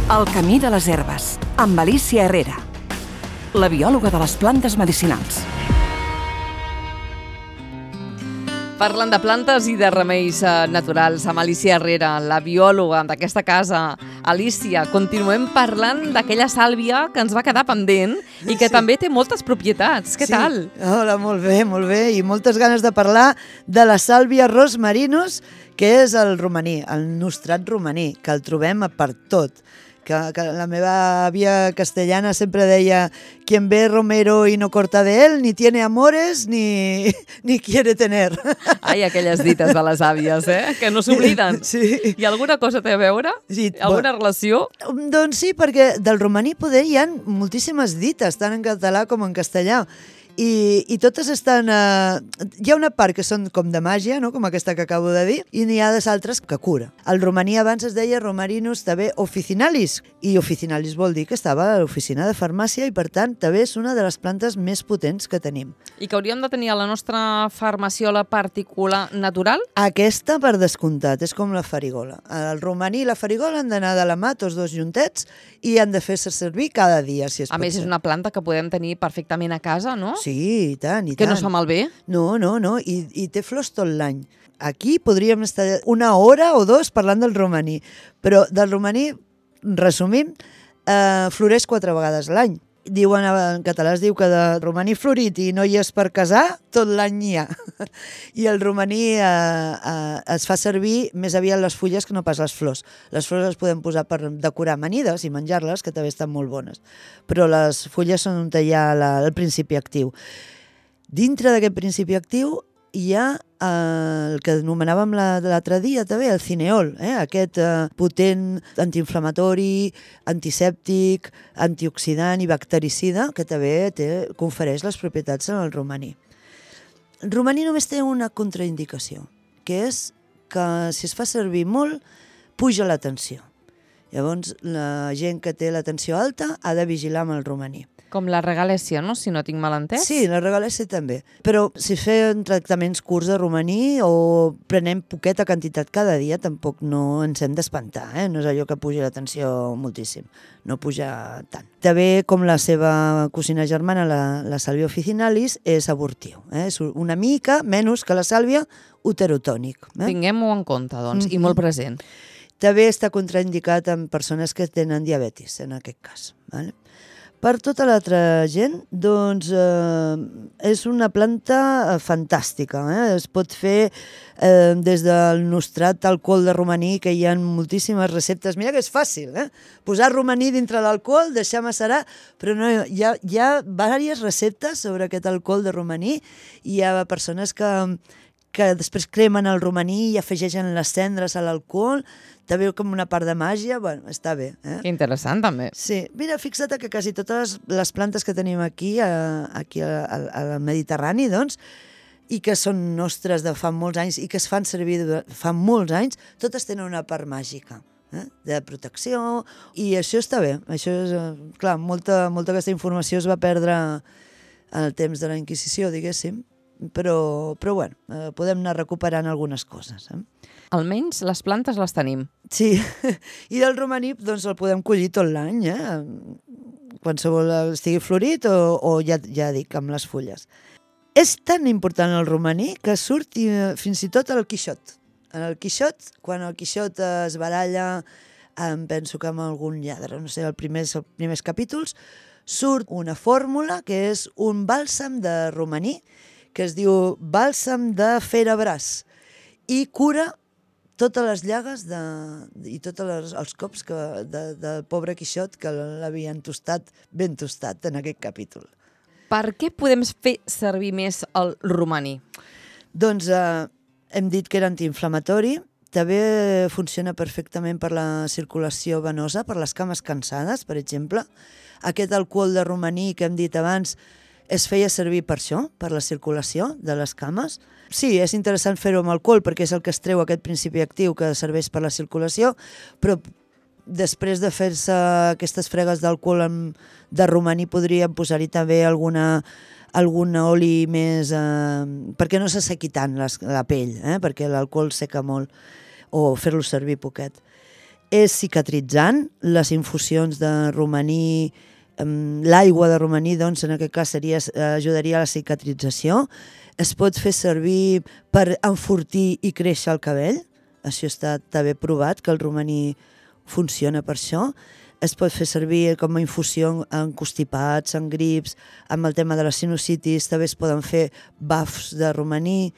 El camí de les herbes, amb Alícia Herrera, la biòloga de les plantes medicinals. Parlant de plantes i de remeis naturals amb Alícia Herrera, la biòloga d'aquesta casa. Alícia, continuem parlant d'aquella sàlvia que ens va quedar pendent i que també té moltes propietats. Què tal? Hola, molt bé, i moltes ganes de parlar de la sàlvia rosmarinus, que és el romaní, el nostrat romaní, que el trobem per tot. Que la meva àvia castellana sempre deia: quien ve romero y no corta de él, ni tiene amores, ni quiere tener. Ai, aquelles dites de les àvies, que no s'obliden. Sí. I alguna cosa té a veure? Sí. Alguna relació? Doncs sí, perquè del romaní poder hi ha moltíssimes dites, tant en català com en castellà. I totes estan... hi ha una part que són com de màgia, no? Com aquesta que acabo de dir, i n'hi ha d'altres que cura. El romaní abans es deia Romarinus també officinalis, i officinalis vol dir que estava a l'oficina de farmàcia i, per tant, també és una de les plantes més potents que tenim. I que hauríem de tenir a la nostra farmaciola particular natural? Aquesta, per descomptat, és com la farigola. El romaní i la farigola han d'anar de la mà, tots dos juntets, i han de fer-se servir cada dia, si es pot. A més, és una planta que podem tenir perfectament a casa, no? Sí, i tant, i tant. Que no es fa malbé? No, i té flors tot l'any. Aquí podríem estar una hora o dos parlant del romaní, però del romaní, resumim, floreix 4 vegades l'any. Diuen, en català es diu que de romaní florit i no hi és per casar, tot l'any hi ha. I el romaní es fa servir més aviat les fulles que no pas les flors. Les flors les podem posar per decorar amanides i menjar-les, que també estan molt bones. Però les fulles són on hi ha el principi actiu. Dintre d'aquest principi actiu hi ha el que anomenàvem l'altre dia també, el cineol, aquest potent antiinflamatori, antisèptic, antioxidant i bactericida, que també confereix les propietats en el romaní. El romaní només té una contraindicació, que és que si es fa servir molt, puja la tensió. Llavors, la gent que té la tensió alta ha de vigilar amb el romaní. Com la regalèsia, no? Si no tinc mal entès. Sí, la regalèsia també. Però si fem tractaments curts de romaní o prenem poqueta quantitat cada dia, tampoc no ens hem d'espantar, No és allò que puja la tensió moltíssim. No puja tant. També, com la seva cosina germana, la sàlvia officinalis, és abortiu. És una mica menys que la sàlvia uterotònic. Tinguem-ho en compte, doncs, i molt present. També està contraindicat en persones que tenen diabetis, en aquest cas. Vale? Per tota l'altra gent, doncs, és una planta fantàstica. Es pot fer des del nostrat alcohol de romaní, que hi ha moltíssimes receptes. Mira que és fàcil, posar romaní dintre l'alcohol, deixar macerar, però no, hi ha diverses receptes sobre aquest alcohol de romaní. Hi ha persones que després cremen el romaní i afegeixen les cendres a l'alcohol, també com una part de màgia, bueno, està bé. Que interessant, també. Sí, mira, fixa't que quasi totes les plantes que tenim aquí al Mediterrani, doncs, i que són nostres de fa molts anys i que es fan servir fa molts anys, totes tenen una part màgica, de protecció, i això està bé. Això és, clar, molta d'aquesta informació es va perdre en el temps de la Inquisició, diguéssim, però bueno, podem anar recuperant algunes coses. Almenys les plantes les tenim. Sí, i del romaní doncs el podem collir tot l'any, qualsevol estigui florit o ja dic, amb les fulles. És tan important el romaní que surt fins i tot al Quixot. En el Quixot, quan el Quixot es baralla, penso que amb algun lladre, no sé, els primers capítols, surt una fórmula que és un bàlsam de romaní, que es diu bàlsam de Ferabràs, i cura totes les llagues i tots els cops del pobre Quixot, que l'havien tostat, ben tostat en aquest capítol. Per què podem fer servir més el romaní? Doncs hem dit que era antiinflamatori, també funciona perfectament per la circulació venosa, per les cames cansades, per exemple. Aquest alcohol de romaní que hem dit abans es feia servir per això, per la circulació de les cames. Sí, és interessant fer-ho amb alcohol perquè és el que es treu aquest principi actiu que serveix per la circulació, però després de fer-se aquestes fregues d'alcohol de romaní podríem posar-hi també algun oli més... perquè no se sequi tant la pell, perquè l'alcohol seca molt, o fer-lo servir poquet. És cicatritzant, les infusions de romaní, l'aigua de romaní, doncs, en aquest cas ajudaria a la cicatrització. Es pot fer servir per enfortir i créixer el cabell. Això està també provat, que el romaní funciona per això. Es pot fer servir com a infusió en constipats, en grips, amb el tema de la sinusitis, també es poden fer bafs de romaní.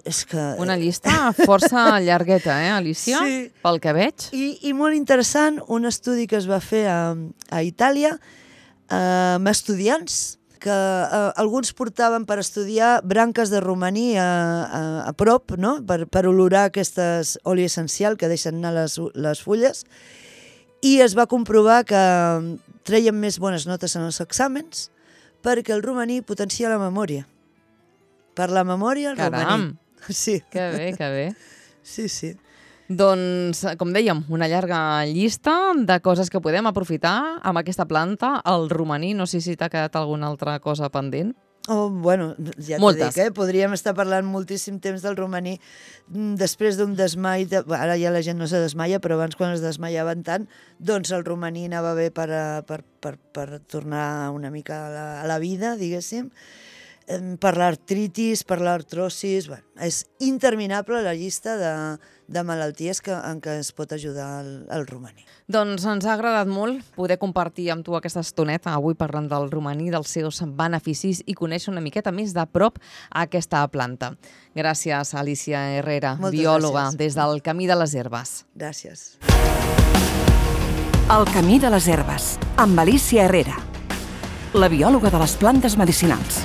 És que... Una llista força llargueta, Alicia? Sí. Pel que veig. I molt interessant, un estudi que es va fer a Itàlia amb estudiants, que alguns portaven per estudiar branques de romaní a prop, no? per olorar aquestes oli essencial que deixen anar les fulles, i es va comprovar que treien més bones notes en els exàmens perquè el romaní potencia la memòria. Per la memòria, el romaní. Sí. Que bé, que bé. Sí, sí. Doncs, com dèiem, una llarga llista de coses que podem aprofitar amb aquesta planta, el romaní. No sé si t'ha quedat alguna altra cosa pendent. Oh, bueno, ja t'ho dic, podríem estar parlant moltíssim temps del romaní després d'un desmai, ara ja la gent no se desmaia, però abans quan es desmaiaven tant, doncs el romaní anava bé per tornar una mica a la vida, diguéssim, per l'artritis, per l'artrosis, bueno, és interminable la llista de malalties en què es pot ajudar el romaní. Doncs ens ha agradat molt poder compartir amb tu aquesta estoneta avui parlant del romaní, dels seus beneficis i conèixer una miqueta més de prop aquesta planta. Gràcies, Alicia Herrera, biòloga des del Camí de les Herbes. Gràcies. El Camí de les Herbes, amb Alicia Herrera, la biòloga de les plantes medicinals.